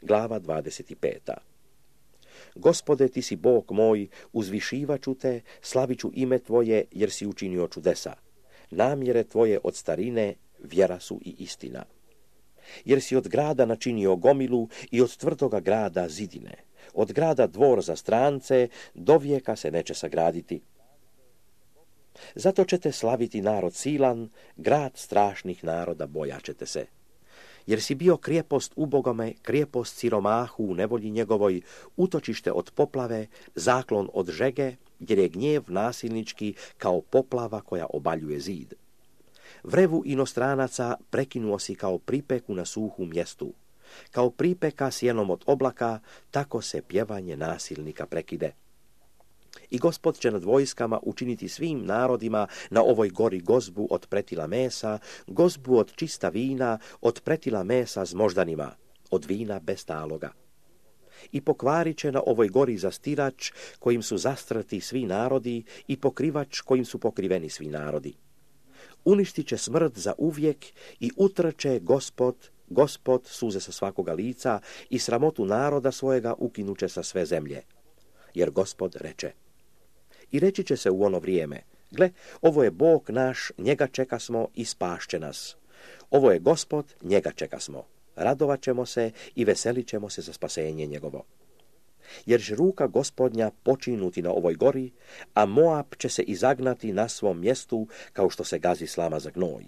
glava 25. Gospode, ti si Bog moj, uzvišivaću te, slaviću ime tvoje, jer si učinio čudesa. Namjere tvoje od starine, vjera su i istina. Jer si od grada načinio gomilu i od tvrdoga grada zidine. Od grada dvor za strance, do vijeka se neće sagraditi. Zato ćete slaviti narod silan, grad strašnih naroda bojaćete se. Jer si bio krijepost ubogome, krijepost siromahu u nevolji njegovoj, utočište od poplave, zaklon od žege, jer je gnjev nasilnički kao poplava koja obaljuje zid. Vrevu inostranaca prekinuo si kao pripeku na suhu mjestu. Kao pripeka sjenom od oblaka, tako se pjevanje nasilnika prekide. I Gospod će nad vojskama učiniti svim narodima na ovoj gori gozbu od pretila mesa, gozbu od čista vina, od pretila mesa s moždanima, od vina bez taloga. I pokvarit će na ovoj gori zastirač kojim su zastrti svi narodi i pokrivač kojim su pokriveni svi narodi. Uništit će smrt za uvijek i utrče Gospod suze sa svakoga lica i sramotu naroda svojega ukinuće sa sve zemlje. Jer Gospod reče. I reći će se u ono vrijeme, gle, ovo je Bog naš, njega čekasmo i spašće nas. Ovo je Gospod, njega čekasmo. Radovat ćemo se i veselit ćemo se za spasenje njegovo. Jer će ruka Gospodnja počinuti na ovoj gori, a Moab će se izagnati na svom mjestu kao što se gazi slama za gnoj.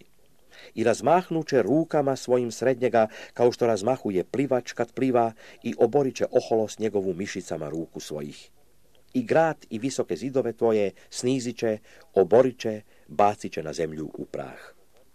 I razmahnuće rukama svojim srednjega kao što razmahuje plivač kad pliva i oborit će oholost njegovu mišicama ruku svojih. I grad i visoke zidove tvoje snizit će, oborit će, bacit će na zemlju u prah.